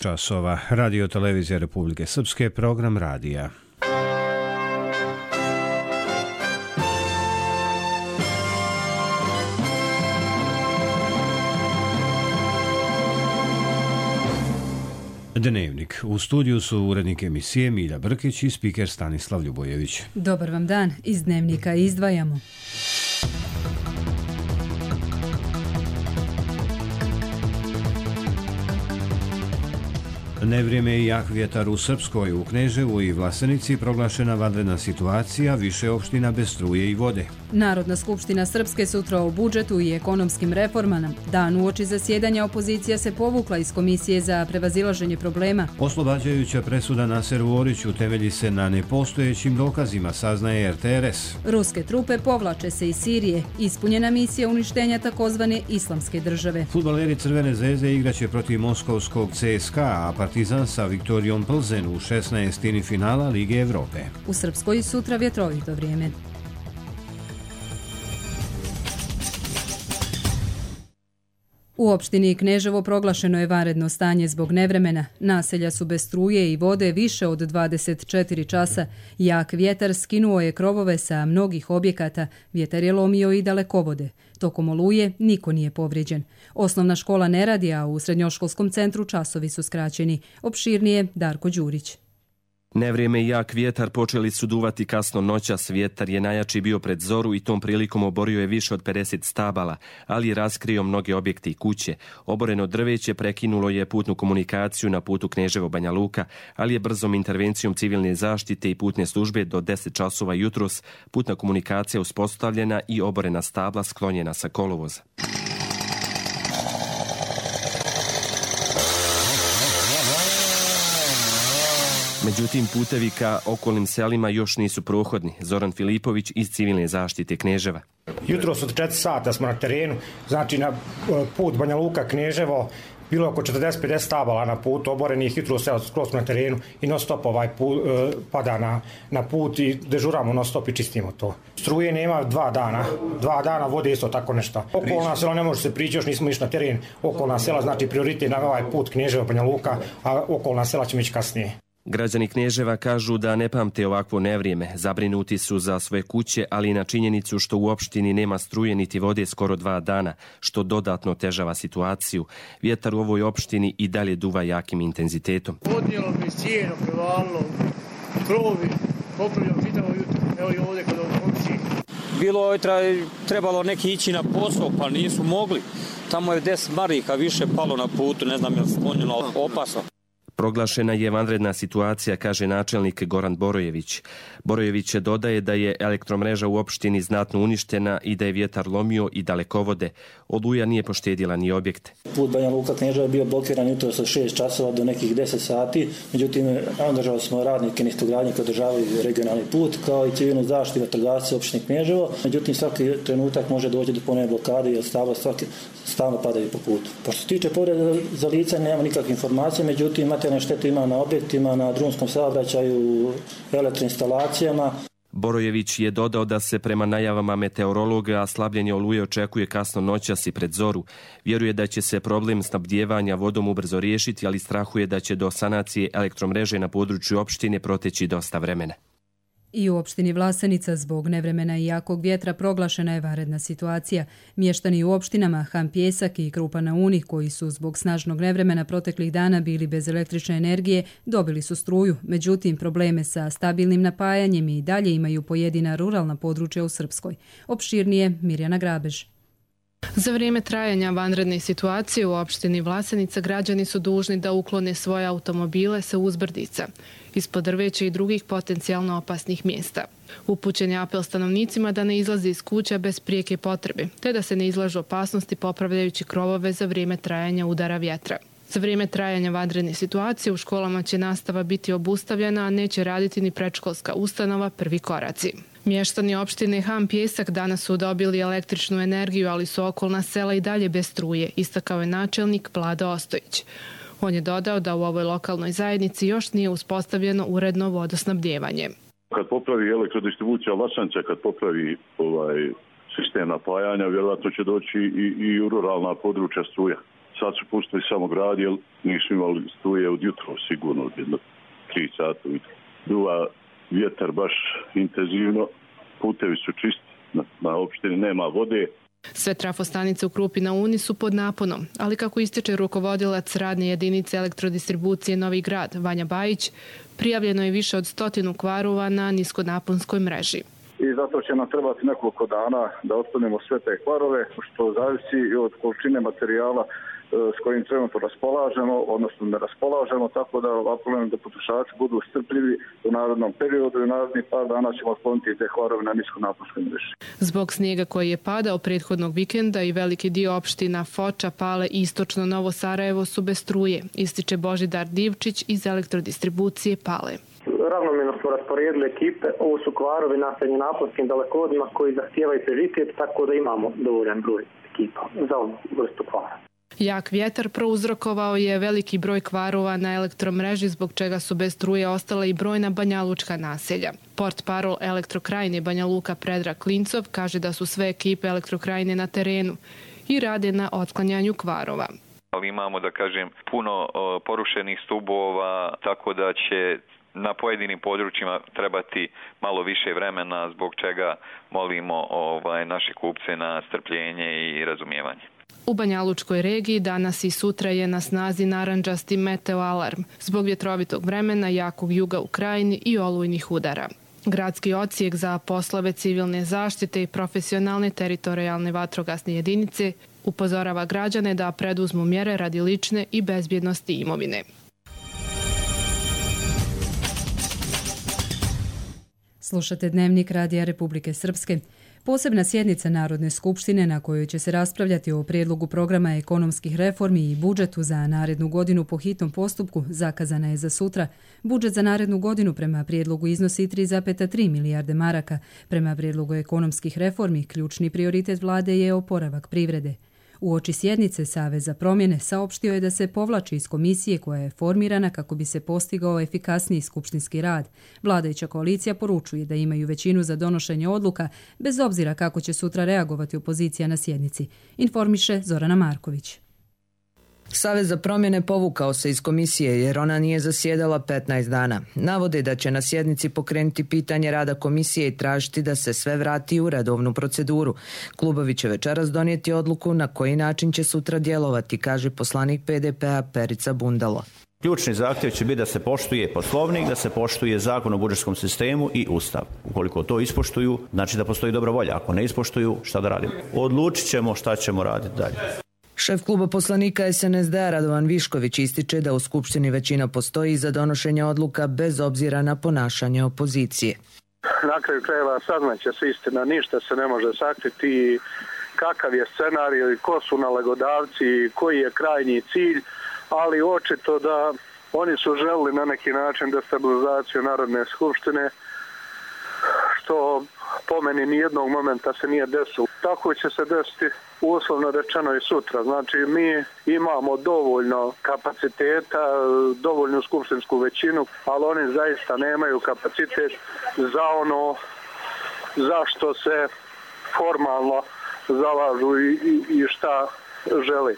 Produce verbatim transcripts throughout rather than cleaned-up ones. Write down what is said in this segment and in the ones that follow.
časova. Radio Televizija Republike Srpske, program radija. Dnevnik. U studiju su urednik emisije Milja Brkić i spiker Stanislav Ljubojević. Dobar vam dan. Iz Dnevnika izdvajamo. Nevrijeme i jak vjetar u Srpskoj, u Kneževu i Vlasenici proglašena vanredna situacija, više opština bez struje i vode. Narodna skupština Srpske sutra o budžetu i ekonomskim reformama. Dan uoči zasjedanja opozicija se povukla iz Komisije za prevazilaženje problema. Oslobađajuća presuda Naseru Oriću temelji se na nepostojećim dokazima, saznaje R T R S. Ruske trupe povlače se iz Sirije. Ispunjena misija uništenja takozvane islamske države. Fudbaleri Crvene zvezde igraće protiv moskovskog C S K A, a Partizan sa Viktorijom Plzen u šesnaestini finala Lige Evrope. U Srpskoj sutra vjetrovito vrijeme. U opštini Kneževo proglašeno je vanredno stanje zbog nevremena. Naselja su bez struje i vode više od dvadeset četiri časa. Jak vjetar skinuo je krovove sa mnogih objekata. Vjetar je lomio i dalekovode. Tokom oluje niko nije povrijeđen. Osnovna škola ne radi, a u srednjoškolskom centru časovi su skraćeni. Opširnije Darko Đurić. Nevrijeme i jak vjetar počeli su duvati kasno noćas. Vjetar je najjači bio pred zoru i tom prilikom oborio je više od pedeset stabala, ali je raskrio mnoge objekte i kuće. Oboreno drveće prekinulo je putnu komunikaciju na putu Kneževo-Banja Luka, ali je brzom intervencijom civilne zaštite i putne službe do deset časova jutros putna komunikacija uspostavljena i oborena stabla sklonjena sa kolovoza. Međutim, putevi ka okolnim selima još nisu prohodni. Zoran Filipović iz civilne zaštite Kneževa. Jutros od četiri sata smo na terenu, znači na put Banja Luka Kneževo, bilo oko četrdeset do pedeset stabala na putu oborenih, jutro se skroz na terenu i non stop ovaj put, pada na, na put i dežuramo non stop i čistimo to. Struje nema dva dana, dva dana vode isto tako nešto. Okolna sela ne može se prići, još nismo išli na teren. Okolna sela znači prioritet na ovaj put Kneževo Banja Luka, a okolna sela ćemo ići kasnije. Građani Kneževa kažu da ne pamte ovakvo nevrijeme. Zabrinuti su za svoje kuće, ali i na činjenicu što u opštini nema struje niti vode skoro dva dana, što dodatno težava situaciju. Vjetar u ovoj opštini i dalje duva jakim intenzitetom. Podnijelo mi sjeno, prevalilo, krovi, popravljamo čitavo jutro. Evo i ovdje kod opštini. Bilo je trebalo neki ići na posao, pa nisu mogli. Tamo je deset marika više palo na putu, ne znam je li sklonjeno opasno. Proglašena je vanredna situacija, kaže načelnik Goran Borojević. Borojević dodaje da je elektromreža u opštini znatno uništena i da je vjetar lomio i dalekovode. Oluja nije poštedila ni objekte. Put Banja Luka Kneževa je bio blokiran jutro sa šest časova do nekih deset sati. Međutim, angažovali smo radnike Nistogradnje koji održavaju regionalni put, kao i civilnu zaštitu vatrogasce opštine Kneževo. Međutim, svaki trenutak može doći do ponovne blokade jer stabla svaki stalno padaju po putu. Pošto se tiče povrede za lica, nema nikakve informacije, međutim, materijalne štete ima na objektima, na drumskom saobraćaju, elektroinstalacijama. Borojević je dodao da se prema najavama meteorologa slabljenje oluje očekuje kasno noćas i pred zoru. Vjeruje da će se problem snabdijevanja vodom ubrzo riješiti, ali strahuje da će do sanacije elektromreže na području opštine proteći dosta vremena. I u opštini Vlasenica zbog nevremena i jakog vjetra proglašena je vanredna situacija. Mještani u opštinama Han Pjesak i Krupa na Uni, koji su zbog snažnog nevremena proteklih dana bili bez električne energije, dobili su struju. Međutim, probleme sa stabilnim napajanjem i dalje imaju pojedina ruralna područja u Srpskoj. Opširnije Mirjana Grabež. Za vrijeme trajanja vanredne situacije u opštini Vlasenica građani su dužni da uklone svoje automobile sa uzbrdica, ispod drveća i drugih potencijalno opasnih mjesta. Upućen je apel stanovnicima da ne izlaze iz kuća bez prijeke potrebe, te da se ne izlažu opasnosti popravljajući krovove za vrijeme trajanja udara vjetra. Za vrijeme trajanja vanredne situacije u školama će nastava biti obustavljena, a neće raditi ni predškolska ustanova Prvi koraci. Mještani opštine Han Pjesak danas su dobili električnu energiju, ali su okolna sela i dalje bez struje, istakao je načelnik Vlada Ostojić. On je dodao da u ovoj lokalnoj zajednici još nije uspostavljeno uredno vodosnabdijevanje. Kad popravi elektrodistribucija Vlasanca, kad popravi ovaj sistem napajanja, vjerojatno će doći i, i u ruralna područja struja. sad su pustili samo grad, jer nisu imali struje od jutro, sigurno od jedno tri sata. Duva vjetar baš intenzivno, putevi su čisti, na, na opštini nema vode. Sve trafostanice u Krupi na Uni su pod naponom, ali kako ističe rukovodilac radne jedinice elektrodistribucije Novi Grad, Vanja Bajić, prijavljeno je više od stotinu kvarova na niskonaponskoj mreži. I zato će nam trebati nekoliko dana da otklonimo sve te kvarove, što zavisi i od količine materijala s kojim trenutno raspolažemo, odnosno ne raspolažemo, tako da apelujem da potrošači budu strpljivi u narednom periodu i u narednih par dana ćemo otkloniti te kvarove na niskonaponskoj mreži. Zbog snijega koji je padao prethodnog vikenda i veliki dio opština Foča, Pale i istočno Novo Sarajevo su bez struje, ističe Božidar Divčić iz elektrodistribucije Pale. Ravnomjerno smo rasporedili ekipe, ovo su kvarovi na srednjenaponskim dalekovodima koji zahtijevaju prioritet, tako da imamo dovoljan broj ekipa za ovu vrstu kvara. Jak vjetar prouzrokovao je veliki broj kvarova na elektromreži, zbog čega su bez struje ostala i brojna banjalučka naselja. Portparol Elektrokrajine Banja Luka Predrag Klincov kaže da su sve ekipe Elektrokrajine na terenu i rade na otklanjanju kvarova. Ali imamo, da kažem, puno porušenih stubova, tako da će na pojedinim područjima trebati malo više vremena, zbog čega molimo ovaj, naše kupce na strpljenje i razumijevanje. U Banjalučkoj regiji danas i sutra je na snazi narandžasti meteo alarm zbog vjetrovitog vremena, jakog juga u krajini i olujnih udara. Gradski odsjek za poslove civilne zaštite i profesionalne teritorijalne vatrogasne jedinice upozorava građane da preduzmu mjere radi lične i bezbjednosti imovine. Slušate Dnevnik Radija Republike Srpske. Posebna sjednica Narodne skupštine na kojoj će se raspravljati o prijedlogu programa ekonomskih reformi i budžetu za narednu godinu po hitnom postupku zakazana je za sutra. Budžet za narednu godinu prema prijedlogu iznosi tri zarez tri milijarde maraka. Prema prijedlogu ekonomskih reformi ključni prioritet vlade je oporavak privrede. Uoči sjednice Savez za promjene saopštio je da se povlači iz komisije koja je formirana kako bi se postigao efikasniji skupštinski rad. Vladajuća koalicija poručuje da imaju većinu za donošenje odluka, bez obzira kako će sutra reagovati opozicija na sjednici. Informiše Zorana Marković. Savez za promjene povukao se iz komisije jer ona nije zasjedala petnaest dana. Navode da će na sjednici pokrenuti pitanje rada komisije i tražiti da se sve vrati u redovnu proceduru. Klubovi će večeras donijeti odluku na koji način će sutra djelovati, kaže poslanik P D P-a Perica Bundalo. Ključni zahtjev će biti da se poštuje Poslovnik, da se poštuje Zakon o budžetskom sistemu i Ustav. Ukoliko to ispoštuju, znači da postoji dobra volja. Ako ne ispoštuju, šta da radimo? Odlučit ćemo šta ćemo raditi dalje. Šef kluba poslanika S N S D-a Radovan Višković ističe da u Skupštini većina postoji za donošenje odluka bez obzira na ponašanje opozicije. Na kraju krajeva saznaće se istina, ništa se ne može sakriti, kakav je scenarij i ko su nalagodavci, koji je krajnji cilj, ali očito da oni su želili na neki način destabilizaciju Narodne skupštine, što po meni nijednog momenta se nije desilo. Tako će se desiti uslovno rečeno i sutra. Znači mi imamo dovoljno kapaciteta, dovoljnu skupštinsku većinu, ali oni zaista nemaju kapacitet za ono zašto se formalno zalažu i, i, i šta želi.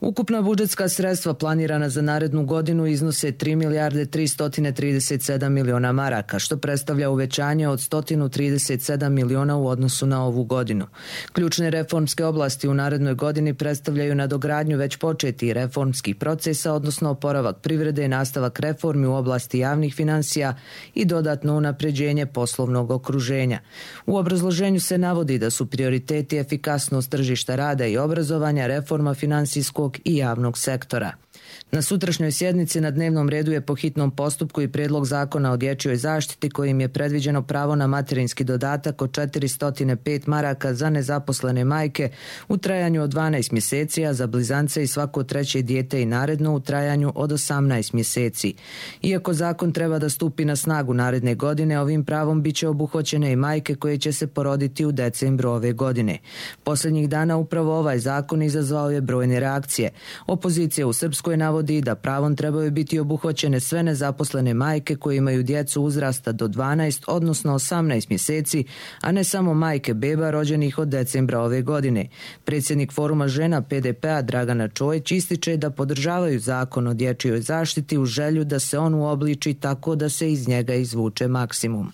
Ukupna budžetska sredstva planirana za narednu godinu iznose tri milijarde tristo trideset sedam miliona maraka, što predstavlja uvećanje od sto trideset sedam miliona u odnosu na ovu godinu. Ključne reformske oblasti u narednoj godini predstavljaju nadogradnju već početih reformskih procesa, odnosno oporavak privrede i nastavak reformi u oblasti javnih financija i dodatno unapređenje poslovnog okruženja. U obrazloženju se navodi da su prioriteti efikasnost tržišta rada i obrazovanja, reforma finansijskog i javnog sektora. Na sutrašnjoj sjednici na dnevnom redu je po hitnom postupku i prijedlog zakona o dječjoj zaštiti kojim je predviđeno pravo na materinski dodatak od četiristo pet maraka za nezaposlene majke u trajanju od dvanaest mjeseci, a za blizance i svako treće dijete i naredno u trajanju od osamnaest mjeseci. Iako zakon treba da stupi na snagu naredne godine, ovim pravom bit će obuhvaćene i majke koje će se poroditi u decembru ove godine. Posljednjih dana upravo ovaj zakon izazvao je brojne reakcije. Opozicija u Srpskoj navodi da pravom trebaju biti obuhvaćene sve nezaposlene majke koje imaju djecu uzrasta do dvanaest, odnosno osamnaest mjeseci, a ne samo majke beba rođenih od decembra ove godine. Predsjednik Foruma žena P D P-a Dragana Čojić ističe da podržavaju zakon o dječjoj zaštiti u želju da se on uobliči tako da se iz njega izvuče maksimum.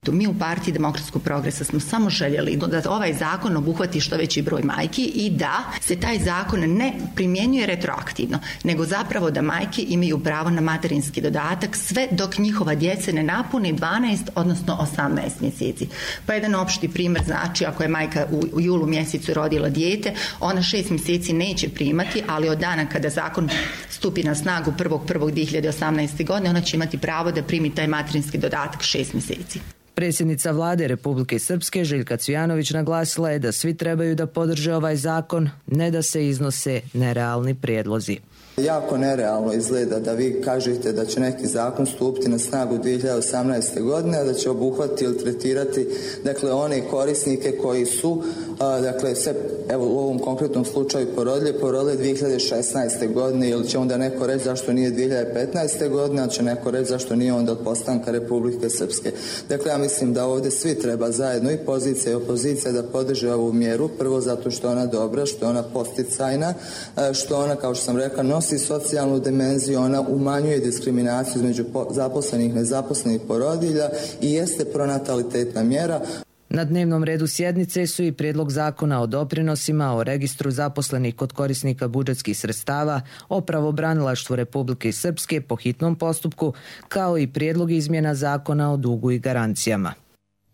Mi u Partiji demokratskog progresa smo samo željeli da ovaj zakon obuhvati što veći broj majki i da se taj zakon ne primjenjuje retroaktivno, nego zapravo da majke imaju pravo na materinski dodatak sve dok njihova djeca ne napuni dvanaest, odnosno osamnaest mjeseci. Pa jedan opšti primjer znači ako je majka u julu mjesecu rodila dijete, ona šest mjeseci neće primati, ali od dana kada zakon stupi na snagu prvog prvog dvije hiljade osamnaeste. godine, ona će imati pravo da primi taj materinski dodatak šest mjeseci. Predsjednica vlade Republike Srpske Željka Cvijanović naglasila je da svi trebaju da podrže ovaj zakon, ne da se iznose nerealni prijedlozi. Jako nerealno izgleda da vi kažete da će neki zakon stupiti na snagu dvije hiljade osamnaeste. godine, a da će obuhvatiti ili tretirati dakle one korisnike koji su a, dakle se evo u ovom konkretnom slučaju porodile, porodile dvije hiljade šesnaeste. godine, ili će onda neko reći zašto nije dvije hiljade petnaeste. godine, a će neko reći zašto nije onda od postanka Republike Srpske. Dakle, ja mislim da ovdje svi treba zajedno, i pozicija i opozicija, da podrže ovu mjeru, prvo zato što je ona dobra, što je ona posticajna, što ona, kao što sam rekla, nosi socijalnu dimenziju, ona umanjuje diskriminaciju između zaposlenih i nezaposlenih porodilja i jeste pronatalitetna mjera. Na dnevnom redu sjednice su i prijedlog zakona o doprinosima, o registru zaposlenih kod korisnika budžetskih sredstava, o pravobranilaštvu Republike Srpske po hitnom postupku, kao i prijedlog izmjena zakona o dugu i garancijama.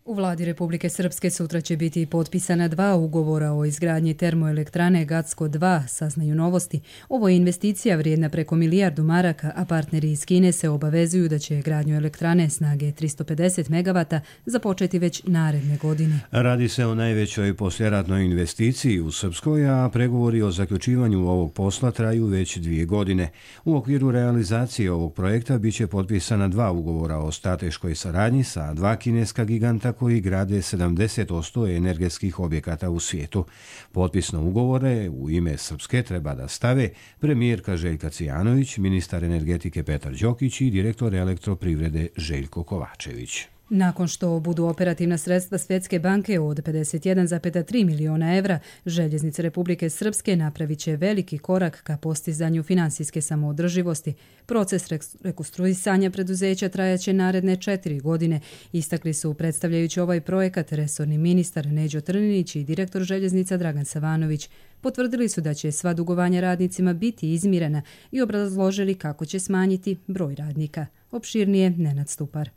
U vladi Republike Srpske sutra će biti potpisana dva ugovora o izgradnji termoelektrane Gatsko dva, saznaju Novosti. Ovo je investicija vrijedna preko milijardu maraka, a partneri iz Kine se obavezuju da će gradnju elektrane snage tristo pedeset megavata započeti već naredne godine. Radi se o najvećoj posljeratnoj investiciji u Srpskoj, a pregovori o zaključivanju ovog posla traju već dvije godine. U okviru realizacije ovog projekta biće potpisana dva ugovora o strateškoj saradnji sa dva kineska giganta koji grade sedamdeset posto energetskih objekata u svijetu. Potpisno ugovore u ime Srpske treba da stave premijerka Željka Cvijanović, ministar energetike Petar Đokić i direktor elektroprivrede Željko Kovačević. Nakon što budu operativna sredstva Svjetske banke od pedeset jedan zarez tri miliona evra, Željeznice Republike Srpske napravit će veliki korak ka postizanju finansijske samoodrživosti. Proces rekonstruisanja preduzeća trajaće naredne četiri godine, istakli su predstavljajući ovaj projekat resorni ministar Neđo Trninić i direktor Željeznica Dragan Savanović. Potvrdili su da će sva dugovanja radnicima biti izmirena i obrazložili kako će smanjiti broj radnika. Opširnije Nenad Stupar.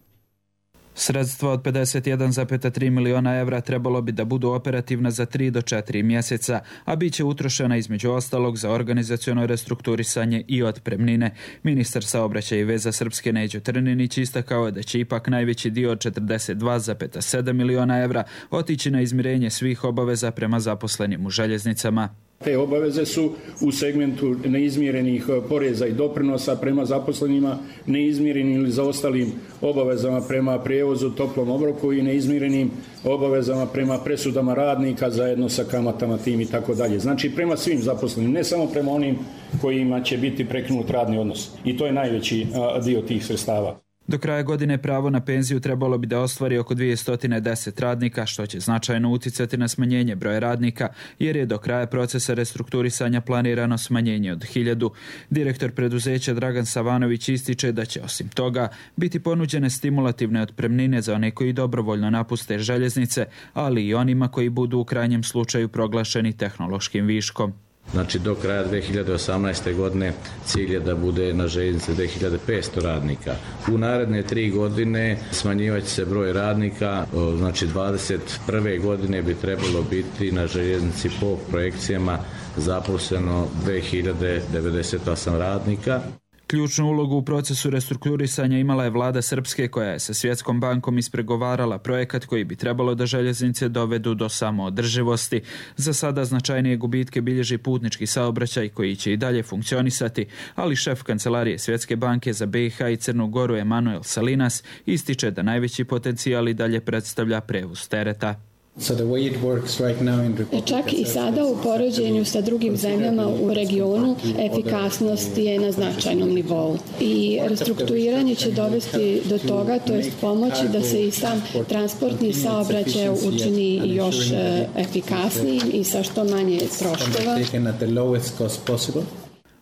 Sredstva od pedeset jedan zarez tri miliona evra trebalo bi da budu operativna za tri do četiri mjeseca, a bit će utrošena između ostalog za organizaciono restrukturisanje i otpremnine. Ministar saobraćaja i veza Srpske Neđo Trninić istakao je da će ipak najveći dio od četrdeset dva zarez sedam miliona evra otići na izmirenje svih obaveza prema zaposlenim u željeznicama. Te obaveze su u segmentu neizmirenih poreza i doprinosa prema zaposlenima, neizmirenim ili zaostalim obavezama prema prijevozu, toplom obroku i neizmirenim obavezama prema presudama radnika zajedno sa kamatama tim i tako dalje. Znači prema svim zaposlenim, ne samo prema onim kojima će biti prekinut radni odnos. I to je najveći dio tih sredstava. Do kraja godine pravo na penziju trebalo bi da ostvari oko dvjesto deset radnika, što će značajno uticati na smanjenje broja radnika, jer je do kraja procesa restrukturisanja planirano smanjenje od hiljadu. Direktor preduzeća Dragan Savanović ističe da će osim toga biti ponuđene stimulativne otpremnine za one koji dobrovoljno napuste željeznice, ali i onima koji budu u krajnjem slučaju proglašeni tehnološkim viškom. Znači do kraja dvije hiljade osamnaeste. godine cilj je da bude na željeznici dvije hiljade petsto radnika. U naredne tri godine smanjivat će se broj radnika, znači dvadeset prve. godine bi trebalo biti na željeznici po projekcijama zaposleno dvije hiljade devedeset osam radnika. Ključnu ulogu u procesu restrukturisanja imala je vlada Srpske, koja je sa Svjetskom bankom ispregovarala projekat koji bi trebalo da željeznice dovedu do samoodrživosti. Za sada značajnije gubitke bilježi putnički saobraćaj koji će i dalje funkcionisati, ali šef kancelarije Svjetske banke za B i H i Crnu Goru Emanuel Salinas ističe da najveći potencijal i dalje predstavlja prevoz tereta. Čak i sada u poređenju sa drugim zemljama u regionu efikasnost je na značajnom nivou i restrukturiranje će dovesti do toga, to jest pomoći da se i sam transportni saobraćaj učini još efikasnijim i sa što manje troškova.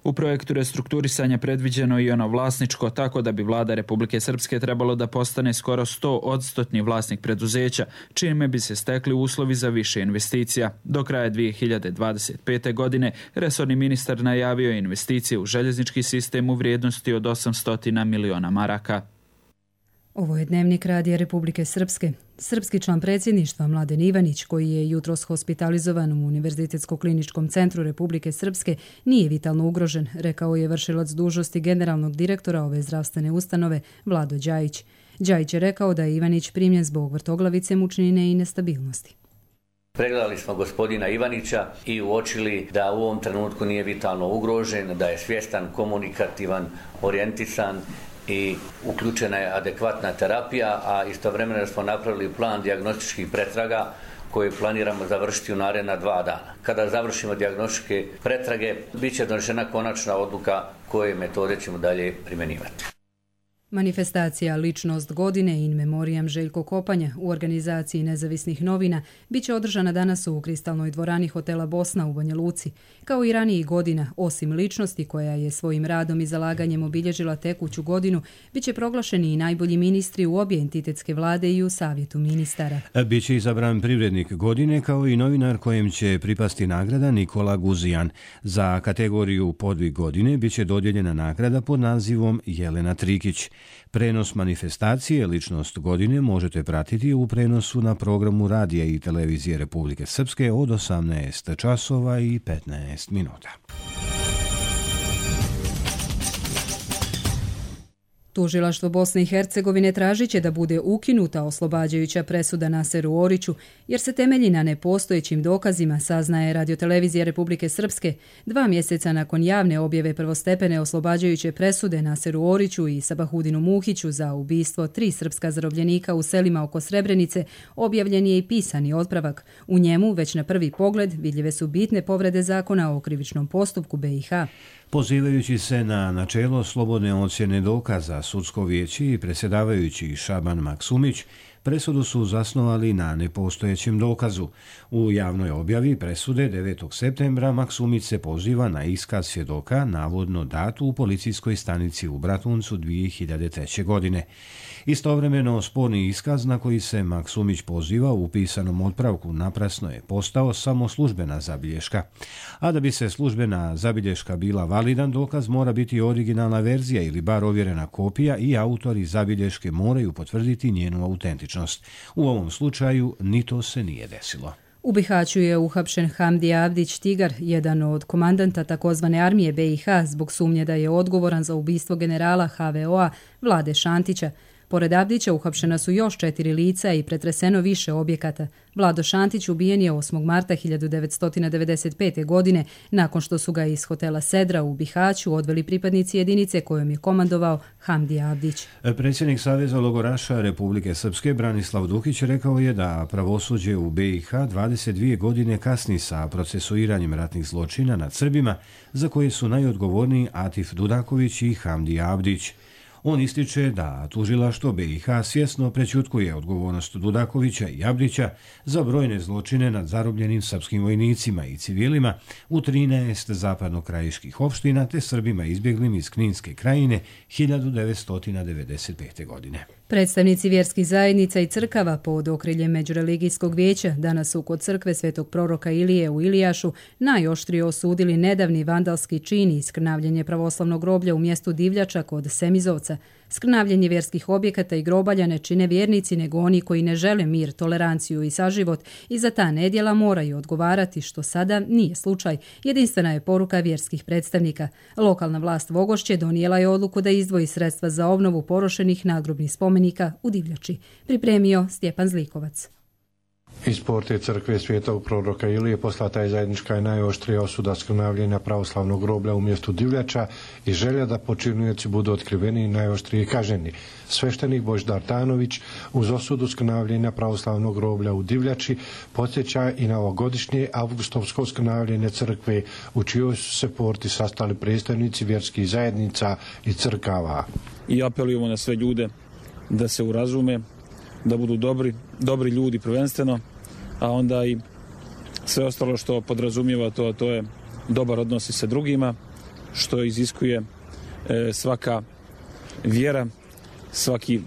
U projektu restrukturisanja predviđeno i ono vlasničko, tako da bi vlada Republike Srpske trebalo da postane skoro sto odstotni vlasnik preduzeća, čime bi se stekli uslovi za više investicija. Do kraja dvije hiljade dvadeset pete. godine resorni ministar najavio investicije u željeznički sistem u vrijednosti od osamsto miliona maraka. Ovo je Dnevnik Radija Republike Srpske. Srpski član predsjedništva Mladen Ivanić, koji je jutros hospitalizovan u Univerzitetsko-kliničkom centru Republike Srpske, nije vitalno ugrožen, rekao je vršilac dužnosti generalnog direktora ove zdravstvene ustanove Vlado Đajić. Đajić je rekao da je Ivanić primljen zbog vrtoglavice, mučnine i nestabilnosti. Pregledali smo gospodina Ivanića i uočili da u ovom trenutku nije vitalno ugrožen, da je svjestan, komunikativan, orijentisan i uključena je adekvatna terapija, a istovremeno smo napravili plan dijagnostičkih pretraga koje planiramo završiti u naredna dva dana. Kada završimo dijagnostičke pretrage, bit će donešena konačna odluka koje metode ćemo dalje primjenjivati. Manifestacija Ličnost godine in memoriam Željko Kopanja u organizaciji nezavisnih novina bit će održana danas u Kristalnoj dvorani hotela Bosna u Banja Luci. Kao i ranijih godina, osim ličnosti koja je svojim radom i zalaganjem obilježila tekuću godinu, bit će proglašeni i najbolji ministri u obje entitetske vlade i u savjetu ministara. Biće izabran privrednik godine kao i novinar kojem će pripasti nagrada Nikola Guzijan. Za kategoriju podvig godine bit će dodijeljena nagrada pod nazivom Jelena Trikić. Prenos manifestacije Ličnost godine možete pratiti u prenosu na programu Radija i televizije Republike Srpske od osamnaest časova i petnaest minuta. Tužilaštvo Bosne i Hercegovine tražit će da bude ukinuta oslobađajuća presuda Naseru Oriću, jer se temelji na nepostojećim dokazima, saznaje Radiotelevizija Republike Srpske, dva mjeseca nakon javne objave prvostepene oslobađajuće presude Naseru Oriću i Sabahudinu Muhiću za ubistvo tri srpska zarobljenika u selima oko Srebrenice, objavljen je i pisani otpravak. U njemu, već na prvi pogled, vidljive su bitne povrede zakona o krivičnom postupku be i ha. Pozivajući se na načelo slobodne ocjene dokaza, sudsko vijeće i predsjedavajući Šaban Maksumić presudu su zasnovali na nepostojećem dokazu. U javnoj objavi presude devetog septembra Maksumić se poziva na iskaz svjedoka, navodno dat u policijskoj stanici u Bratuncu dvije hiljade treće. godine. Istovremeno, sporni iskaz na koji se Maksumić poziva u pisanom otpravku naprasno je postao samo službena zabilješka. A da bi se službena zabilješka bila validan dokaz, mora biti originalna verzija ili bar ovjerena kopija i autori zabilješke moraju potvrditi njenu autentičnost. U ovom slučaju ni to se nije desilo. U Bihaću je uhapšen Hamdi Avdić Tigar, jedan od komandanta takozvane armije be i ha, zbog sumnje da je odgovoran za ubistvo generala ha ve o a Vlade Šantića. Pored Avdića uhapšena su još četiri lica i pretreseno više objekata. Vlado Šantić ubijen je osmog marta hiljadu devetsto devedeset pete. godine nakon što su ga iz hotela Sedra u Bihaću odveli pripadnici jedinice kojom je komandovao Hamdi Avdić. Predsjednik Saveza logoraša Republike Srpske Branislav Dukić rekao je da pravosuđe u be i ha dvadeset dvije godine kasni sa procesuiranjem ratnih zločina nad Srbima, za koje su najodgovorniji Atif Dudaković i Hamdi Avdić. On ističe da tužilaštvo be i ha svjesno prećutkuje odgovornost Dudakovića i Avdića za brojne zločine nad zarobljenim srpskim vojnicima i civilima u trinaest zapadnokrajiških opština te Srbima izbjeglim iz Kninske krajine hiljadu devetsto devedeset pete. godine. Predstavnici vjerskih zajednica i crkava pod okriljem Međureligijskog vijeća danas su kod crkve Svetog proroka Ilije u Ilijašu najoštrije osudili nedavni vandalski čin i skrnavljenje pravoslavnog groblja u mjestu Divljača kod Semizovca. Skrnavljenje vjerskih objekata i grobalja ne čine vjernici nego oni koji ne žele mir, toleranciju i saživot i za ta nedjela moraju odgovarati, što sada nije slučaj. Jedinstvena je poruka vjerskih predstavnika. Lokalna vlast Vogošće donijela je odluku da izdvoji sredstva za obnovu porušenih nadgrobnih spomenika u Divljači. Pripremio Stjepan Zlikovac. Iz porte crkve Svetog proroka Ilije poslata je zajednička i najoštrija osuda skrnavljenja pravoslavnog groblja u mjestu Divljača i želja da počinioci budu otkriveni i najoštrije kažnjeni. Sveštenik Božidar Tanović uz osudu skrnavljenja pravoslavnog groblja u Divljači podsjeća i na ovogodišnje avgustovsko skrnavljenje crkve u čijoj su se porti sastali predstavnici vjerskih zajednica i crkava. I apelujemo na sve ljude da se urazume, da budu dobri, dobri ljudi prvenstveno, a onda i sve ostalo što podrazumijeva to, to je dobar odnos i sa drugima, što iziskuje e, svaka vjera, svaki e,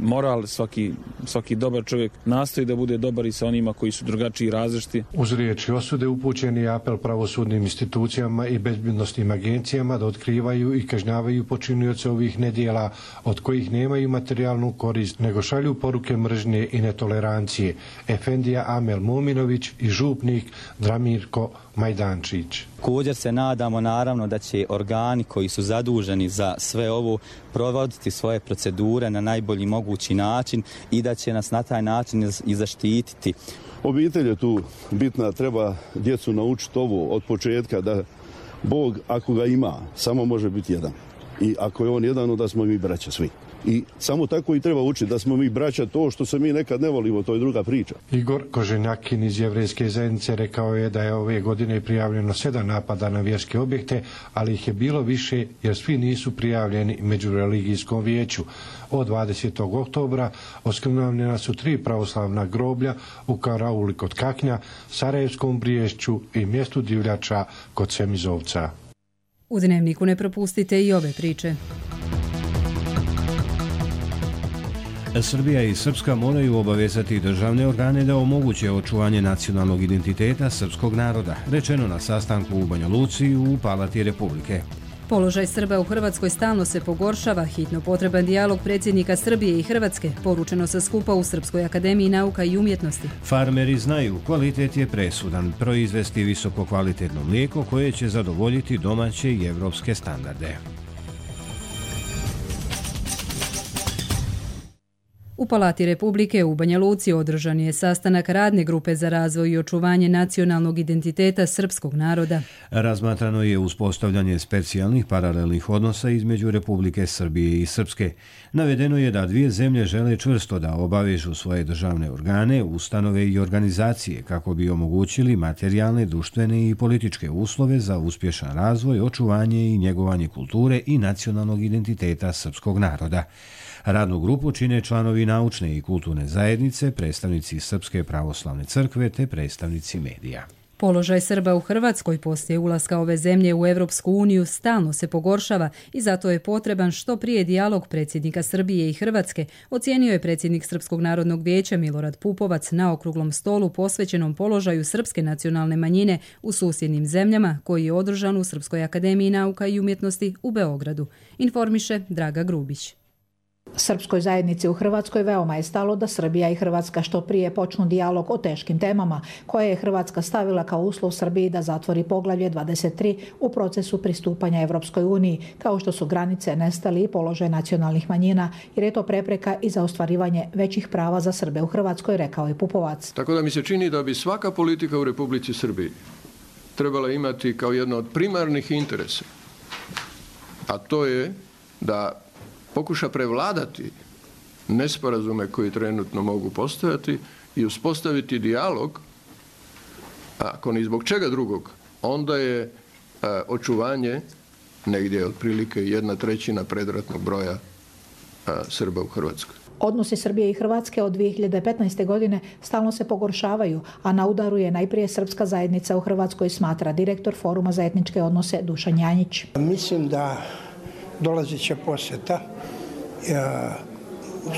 moral, svaki, svaki dobar čovjek nastoji da bude dobar i sa onima koji su drugačiji i različiti. Uz riječi osude upućen je apel pravosudnim institucijama i bezbednosnim agencijama da otkrivaju i kažnjavaju počinioce ovih nedjela od kojih nemaju materijalnu korist, nego šalju poruke mržnje i netolerancije. Efendija Amel Mominović i župnik Dramirko Majdančić. Također se nadamo naravno da će organi koji su zaduženi za sve ovo provoditi svoje procedure na najbolji mogući način i da će nas na taj način i zaštititi. Obitelj je tu bitna, treba djecu naučiti ovo od početka da Bog ako ga ima samo može biti jedan. I ako je on jedan, onda smo mi braća svi. I samo tako i treba učiti da smo mi braća, to što se mi nekad ne volimo, to je druga priča. Igor Koženjakin iz Jevrejske zajednice rekao je da je ove godine prijavljeno sedam napada na vjerske objekte, ali ih je bilo više jer svi nisu prijavljeni među religijskom vijeću. Od dvadesetog oktobra oskrnavljena su tri pravoslavna groblja u Karauli kod Kaknja, Sarajevskom Briješću i mjestu Divljača kod Semizovca. U Dnevniku ne propustite i ove priče. Srbija i Srpska moraju obavezati državne organe da omoguće očuvanje nacionalnog identiteta srpskog naroda, rečeno na sastanku u Banja Luci u Palati Republike. Položaj Srba u Hrvatskoj stalno se pogoršava, hitno potreban dijalog predsjednika Srbije i Hrvatske, poručeno sa skupa u Srpskoj akademiji nauka i umjetnosti. Farmeri znaju, kvalitet je presudan, proizvesti visoko kvalitetno mlijeko koje će zadovoljiti domaće i evropske standarde. U Palati Republike u Banja Luci održan je sastanak radne grupe za razvoj i očuvanje nacionalnog identiteta srpskog naroda. Razmatrano je uspostavljanje specijalnih paralelnih odnosa između Republike Srbije i Srpske. Navedeno je da dvije zemlje žele čvrsto da obavežu svoje državne organe, ustanove i organizacije kako bi omogućili materijalne, društvene i političke uslove za uspješan razvoj, očuvanje i njegovanje kulture i nacionalnog identiteta srpskog naroda. Radnu grupu čine članovi naučne i kulturne zajednice, predstavnici Srpske pravoslavne crkve te predstavnici medija. Položaj Srba u Hrvatskoj poslije ulaska ove zemlje u Europsku uniju stalno se pogoršava i zato je potreban što prije dijalog predsjednika Srbije i Hrvatske, ocijenio je predsjednik Srpskog narodnog vijeća Milorad Pupovac na okruglom stolu posvećenom položaju srpske nacionalne manjine u susjednim zemljama koji je održan u Srpskoj akademiji nauka i umjetnosti u Beogradu. Informiše Draga Grubić. Srpskoj zajednici u Hrvatskoj veoma je stalo da Srbija i Hrvatska što prije počnu dijalog o teškim temama koje je Hrvatska stavila kao uslov Srbiji da zatvori poglavlje dvadeset tri u procesu pristupanja Evropskoj uniji, kao što su granice, nestali i položaj nacionalnih manjina, jer je to prepreka i za ostvarivanje većih prava za Srbe u Hrvatskoj, rekao je Pupovac. Tako da mi se čini da bi svaka politika u Republici Srbiji trebala imati kao jedno od primarnih interesa, a to je da pokuša prevladati nesporazume koji trenutno mogu postojati i uspostaviti dijalog, ako ni zbog čega drugog, onda je a, očuvanje negdje otprilike jedna trećina predratnog broja a, Srba u Hrvatskoj. Odnosi Srbije i Hrvatske od dvije hiljade petnaeste. godine stalno se pogoršavaju, a na udaru je najprije srpska zajednica u Hrvatskoj, smatra direktor Foruma za etničke odnose Dušan Janjić. Mislim da dolazit će posjeta,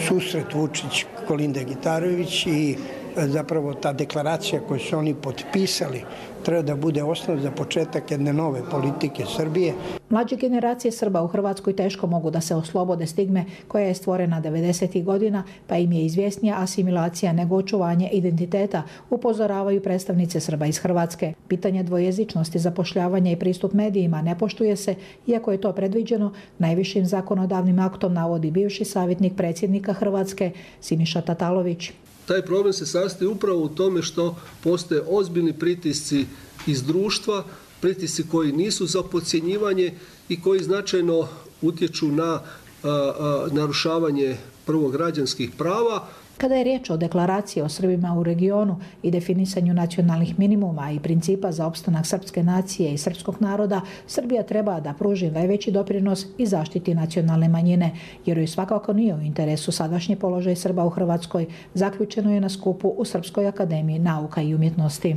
susret Vučić-Kolinde Gitarović i zapravo ta deklaracija koju su oni potpisali treba da bude osnov za početak jedne nove politike Srbije. Mlađe generacije Srba u Hrvatskoj teško mogu da se oslobode stigme koja je stvorena devedesetih godina, pa im je izvjesnija asimilacija nego očuvanje identiteta, upozoravaju predstavnice Srba iz Hrvatske. Pitanje dvojezičnosti, zapošljavanja i pristup medijima ne poštuje se, iako je to predviđeno najvišim zakonodavnim aktom, navodi bivši savjetnik predsjednika Hrvatske Siniša Tatalović. Taj problem se sastoji upravo u tome što postoje ozbiljni pritisci iz društva, pritisci koji nisu za podcjenjivanje i koji značajno utječu na a, a, narušavanje prvo građanskih prava. Kada je riječ o deklaraciji o Srbima u regionu i definisanju nacionalnih minimuma i principa za opstanak srpske nacije i srpskog naroda, Srbija treba da pruži najveći doprinos i zaštiti nacionalne manjine, jer joj svakako nije u interesu sadašnji položaj Srba u Hrvatskoj, zaključeno je na skupu u Srpskoj akademiji nauka i umjetnosti.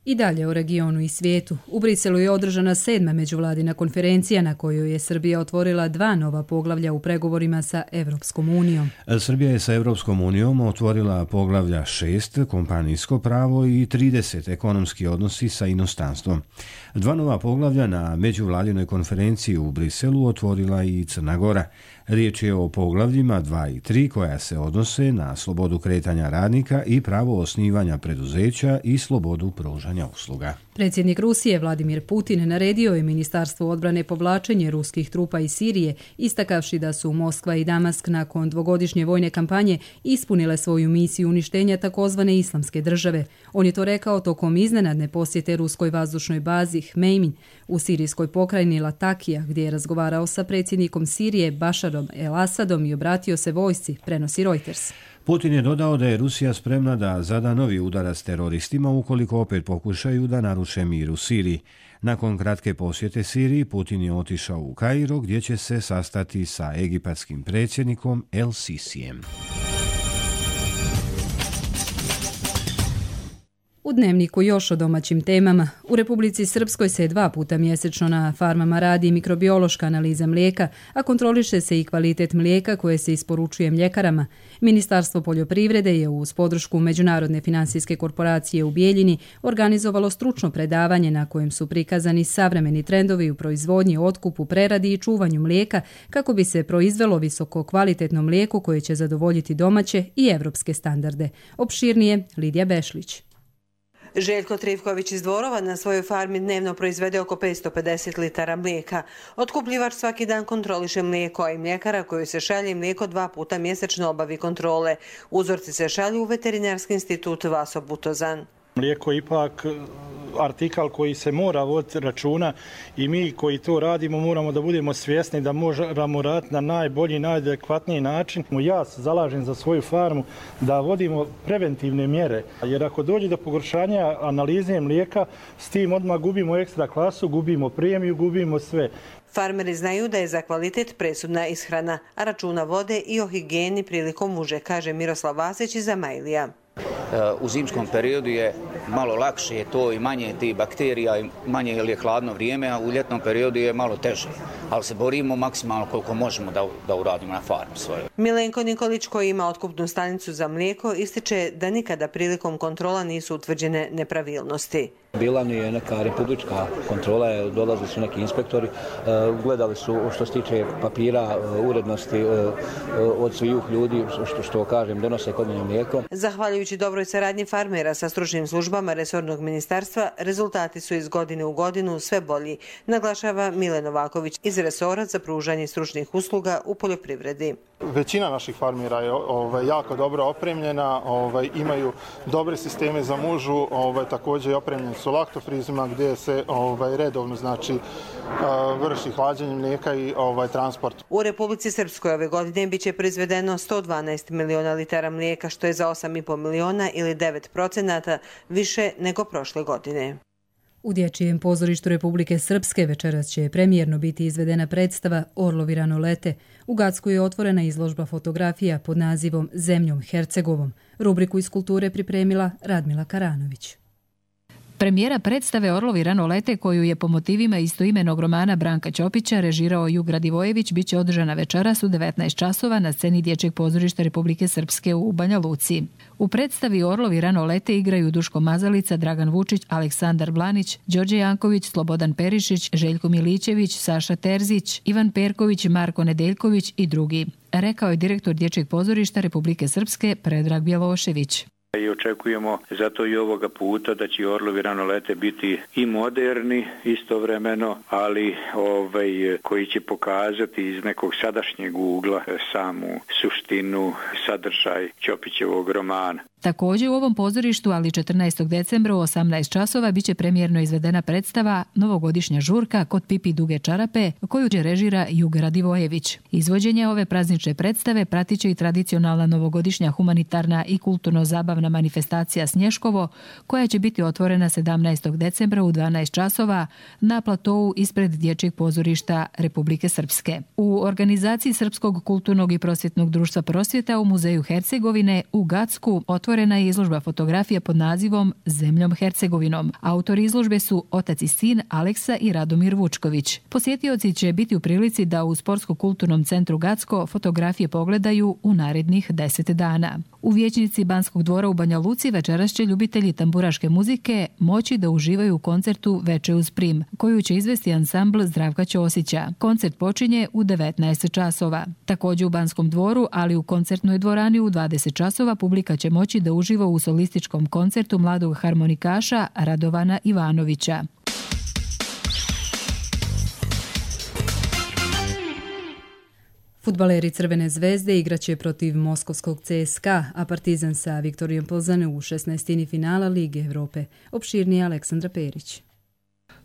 I dalje u regionu i svijetu. U Briselu je održana sedma međuvladina konferencija na kojoj je Srbija otvorila dva nova poglavlja u pregovorima sa Evropskom unijom. Srbija je sa Evropskom unijom otvorila poglavlja šest, kompanijsko pravo i trideset, ekonomski odnosi sa inostranstvom. Dva nova poglavlja na međuvladinoj konferenciji u Briselu otvorila i Crna Gora. Riječ je o poglavljima dva i tri koja se odnose na slobodu kretanja radnika i pravo osnivanja preduzeća i slobodu pružanja usluga. Predsjednik Rusije Vladimir Putin naredio je Ministarstvu odbrane povlačenje ruskih trupa iz Sirije, istakavši da su Moskva i Damask nakon dvogodišnje vojne kampanje ispunile svoju misiju uništenja takozvane islamske države. On je to rekao tokom iznenadne posjete ruskoj vazdušnoj bazi Hmejmin u sirijskoj pokrajini Latakija, gdje je razgovarao sa predsjednikom Sirije Bašarom el-Asadom i obratio se vojsci, prenosi Reuters. Putin je dodao da je Rusija spremna da zada novi udarac teroristima ukoliko opet pokušaju da naruše mir u Siriji. Nakon kratke posjete Siriji, Putin je otišao u Kairo gdje će se sastati sa egipatskim predsjednikom El Sisijem. U Dnevniku još o domaćim temama. U Republici Srpskoj se dva puta mjesečno na farmama radi mikrobiološka analiza mlijeka, a kontroliše se i kvalitet mlijeka koje se isporučuje mljekarama. Ministarstvo poljoprivrede je uz podršku Međunarodne financijske korporacije u Bijeljini organizovalo stručno predavanje na kojem su prikazani savremeni trendovi u proizvodnji, otkupu, preradi i čuvanju mlijeka kako bi se proizvelo visoko kvalitetno mlijeko koje će zadovoljiti domaće i evropske standarde. Opširnije Lidija Bešlić. Željko Trivković iz Dvorova na svojoj farmi dnevno proizvede oko petsto pedeset litara mlijeka. Otkupljivač svaki dan kontroliše mlijeko, a i mljekara koju se šalje mlijeko dva puta mjesečno obavi kontrole. Uzorci se šalju u Veterinarski institut Vaso Butozan. Mlijeko je ipak artikal koji se mora voditi računa i mi koji to radimo moramo da budemo svjesni da moramo raditi na najbolji, najadekvatniji način. Ja se zalažem za svoju farmu da vodimo preventivne mjere, jer ako dođe do pogoršanja analize mlijeka, s tim odmah gubimo ekstra klasu, gubimo premiju, gubimo sve. Farmeri znaju da je za kvalitet presudna ishrana, a računa vode i o higijeni prilikom muže, kaže Miroslav Vasić iz Amajlija. U zimskom periodu je malo lakše, je to i manje tih bakterija, i manje jer je hladno vrijeme, a u ljetnom periodu je malo teže. Ali se borimo maksimalno koliko možemo da, da uradimo na farmi svojoj. Milenko Nikolić, koji ima otkupnu stanicu za mlijeko, ističe da nikada prilikom kontrola nisu utvrđene nepravilnosti. Bila mi je neka republička kontrola, dolazili su neki inspektori, gledali su što se tiče papira, urednosti od svih ljudi, što, što kažem, donose kod mene mlijeko. Zahvaljujući dobroj saradnji farmera sa stručnim službama resornog ministarstva, rezultati su iz godine u godinu sve bolji, naglašava Mile Novaković iz resora za pružanje stručnih usluga u poljoprivredi. Većina naših farmera je ovaj, jako dobro opremljena, ovaj, imaju dobre sisteme za mužu, ovaj, također je opremljen su laktofrizima gdje se ovaj, redovno znači, vrši hlađenje mlijeka i ovaj, transport. U Republici Srpskoj ove godine biće proizvedeno sto dvanaest miliona litara mlijeka, što je za osam i pol miliona ili devet procenata više nego prošle godine. U Dječjem pozorištu Republike Srpske večeras će premijerno biti izvedena predstava Orlovi rano lete. U Gacku je otvorena izložba fotografija pod nazivom Zemljom Hercegovom. Rubriku iz kulture pripremila Radmila Karanović. Premijera predstave Orlovi rano lete, koju je po motivima istoimenog romana Branka Ćopića režirao Jug Radivojević, biće održana večeras u devetnaest časova na sceni Dječjeg pozorišta Republike Srpske u Banja Luci. U predstavi Orlovi rano lete igraju Duško Mazalica, Dragan Vučić, Aleksandar Blanić, Đorđe Janković, Slobodan Perišić, Željko Milićević, Saša Terzić, Ivan Perković, Marko Nedeljković i drugi, rekao je direktor Dječjeg pozorišta Republike Srpske Predrag Bjelošević. I očekujemo zato i ovoga puta da će Orlovi ranolete biti i moderni istovremeno, ali ovaj, koji će pokazati iz nekog sadašnjeg ugla samu suštinu, sadržaj Ćopićevog romana. Također u ovom pozorištu, ali četrnaestog decembra u osamnaest časova biće premijerno izvedena predstava Novogodišnja žurka kod Pipi duge čarape, koju će režira Jug Radivojević. Izvođenje ove praznične predstave pratit će i tradicionalna novogodišnja humanitarna i kulturno-zabavna manifestacija Snješkovo, koja će biti otvorena sedamnaestog decembra u dvanaest časova na platou ispred Dječjeg pozorišta Republike Srpske. U organizaciji Srpskog kulturnog i prosvjetnog društva Prosvjeta u Muzeju Hercegovine u Gacku otvorena je izložba fotografija pod nazivom Zemljom Hercegovinom. Autori izložbe su otac i sin Aleksa i Radomir Vučković. Posjetioci će biti u prilici da u Sportsko-kulturnom centru Gacko fotografije pogledaju u narednih deset dana. U vijećnici Banskog dvora u Banja Luci večeras će ljubitelji tamburaške muzike moći da uživaju u koncertu Veče uz prim, koju će izvesti ansambl Zdravka Ćosića. Koncert počinje u devetnaest časova. Također u Banskom dvoru, ali u koncertnoj dvorani u dvadeset časova publika će moći da uživa u solističkom koncertu mladog harmonikaša Radovana Ivanovića. Fudbaleri Crvene zvezde igraće protiv moskovskog C S K A, a Partizan sa Viktorijom Plzane u šesnaestini finala Lige Evrope. Opširnije Aleksandra Perić.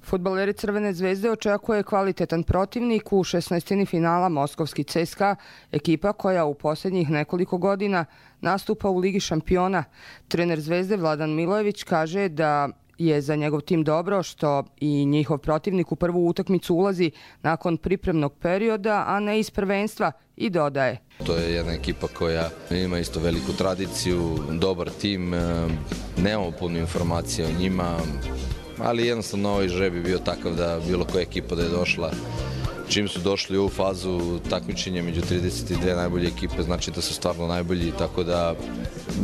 Fudbaleri Crvene zvezde očekuje kvalitetan protivnik u šesnaestini finala moskovski C S K A, ekipa koja u posljednjih nekoliko godina nastupa u Ligi šampiona. Trener Zvezde Vladan Milojević kaže da je za njegov tim dobro što i njihov protivnik u prvu utakmicu ulazi nakon pripremnog perioda, a ne iz prvenstva, i dodaje. To je jedna ekipa koja ima isto veliku tradiciju, dobar tim, nemamo puno informacija o njima, ali jednostavno ovaj žreb je bio takav da bilo koja ekipa da je došla, čim su došli u fazu takmičenja među trideset dvije najbolje ekipe, znači da su stvarno najbolji, tako da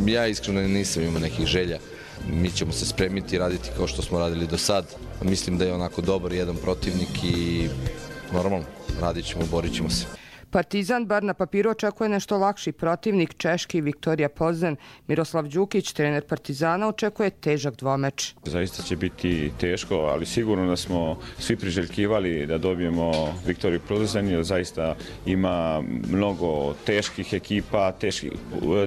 ja iskreno nisam imao nekih želja. Mi ćemo se spremiti i raditi kao što smo radili do sad. Mislim da je onako dobar jedan protivnik i normalno radit ćemo, borit ćemo se. Partizan bar na papiru očekuje nešto lakši protivnik, češki Viktorija Plzen. Miroslav Đukić, trener Partizana, očekuje težak dvomeč. Zaista će biti teško, ali sigurno da smo svi priželjkivali da dobijemo Viktoriju Plzen, jer zaista ima mnogo teških ekipa, teških,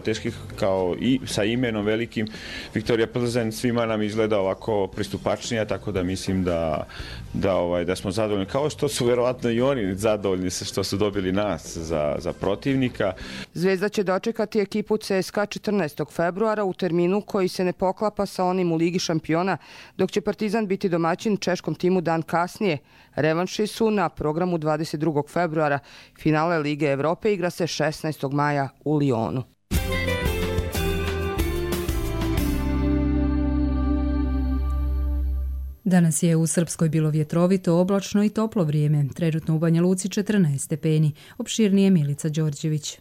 teških kao i sa imenom velikim. Viktorija Plzen svima nam izgleda ovako pristupačnija, tako da mislim da, da, ovaj, da smo zadovoljni. Kao što su verovatno i oni zadovoljni sa što su dobili nas Za, za protivnika. Zvezda će dočekati ekipu C S K A četrnaestog februara u terminu koji se ne poklapa sa onim u Ligi šampiona, dok će Partizan biti domaćin češkom timu dan kasnije. Revanši su na programu dvadeset drugog februara. Finale Lige Evrope igra se šesnaestog maja u Lionu. Danas je u Srpskoj bilo vjetrovito, oblačno i toplo vrijeme. Trenutno u Banja Luci četrnaest stepeni. Opširnije Milica Đorđević.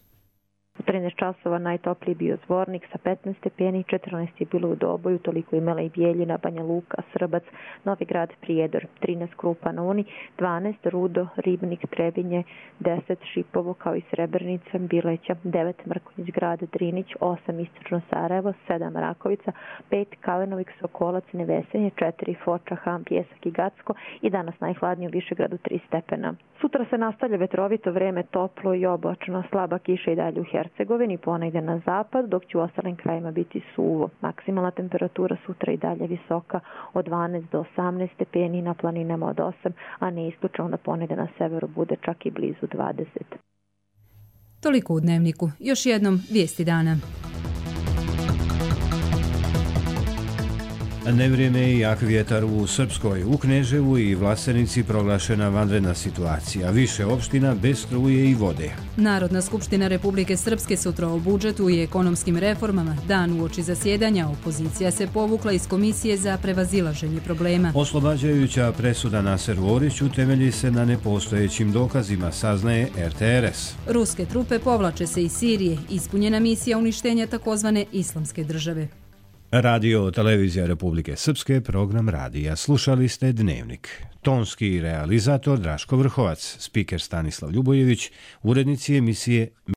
U trinaest časova najtopliji bio Zvornik sa petnaest stepeni, četrnaest je bilo u Doboju, toliko imala i Bijeljina, Banja Luka, Srbac, Novi Grad, Prijedor, trinaest Krupa na Uni, dvanaest Rudo, Ribnik, Trebinje, deset Šipovo kao i Srebrenica, Bileća, devet Mrkonjić Grad, Drinić, osam Istočno Sarajevo, sedam Rakovica, pet Kalenovik, Sokolac, Nevesenje, četiri Foča, Ham, Pjesak i Gacko i danas najhladnije u Višegradu tri stepena. Sutra se nastavlja vetrovito vrijeme, toplo i oblačno, slaba kiša i dalje u Hercegovini, ponegdje na zapad, dok će u ostalim krajima biti suvo. Maksimalna temperatura sutra i dalje visoka od dvanaest do osamnaest stepeni, na planinama od osam, a ne isključeno da ponegdje na severu bude čak i blizu dvadeset. Toliko u Dnevniku. Još jednom vijesti dana. Nevrijeme i jak vjetar u Srpskoj. U Kneževu i Vlasenici proglašena vanredna situacija. Više opština bez struje i vode. Narodna skupština Republike Srpske sutra o budžetu i ekonomskim reformama. Dan uoči zasjedanja opozicija se povukla iz Komisije za prevazilaženje problema. Oslobađajuća presuda Naseru Oriću temelji se na nepostojećim dokazima, saznaje er te er es. Ruske trupe povlače se iz Sirije. Ispunjena misija uništenja takozvane islamske države. Radio Televizija Republike Srpske, program radija. Slušali ste Dnevnik. Tonski realizator Draško Vrhovac, spiker Stanislav Ljubojević, urednici emisije